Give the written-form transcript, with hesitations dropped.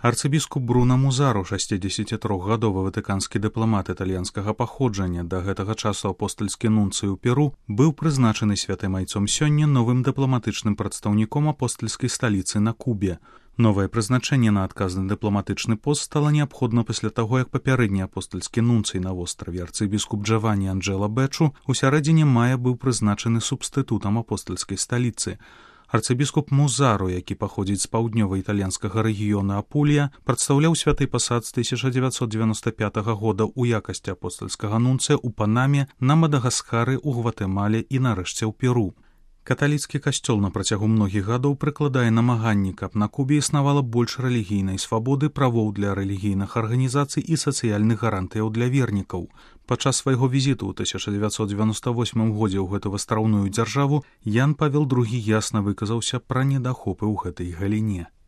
Арцыбіскуп Бруно Музару, 63-гадовы ватыканскі дыпламат італьянскага паходжання, да гэтага часу апостальскі нунцый у Перу, быў прызначаны святым айцом сёння новым дыпламатычным прадстаўніком апостальскай сталіцы на Кубе. Новае прызначэнне на адказны дыпламатычны пост стала неабходна пасля таго, як папярэдні апостальскі нунцый на востраве арцыбіскуп Джаванні Анджэла Бэчу ў сярэдзіне мая быў прызначаны субстытутам апостальскай сталіцы. Арцыбіскуп Музару, які паходзіць з паўднёва-італьянскага рэгіёна Апулія, прадстаўляў святы пасад з 1995 года ў якасці апостальскага нунцыя ў Панаме, на Мадагаскары, у Гватэмале і нарэшце ў Перу. Каталіцкі касцёл на працягу многіх гадоў прыкладае намаганні, каб на Кубе існавала больш рэлігійнай свабоды, правоў для рэлігійных арганізацый і сацыяльных гарантыяў для вернікаў. Падчас свайго візіту ў 1998 годзе ў гэту астраўную дзяржаву Ян Павел II ясна выказаўся пра недахопы ў гэтай галіне.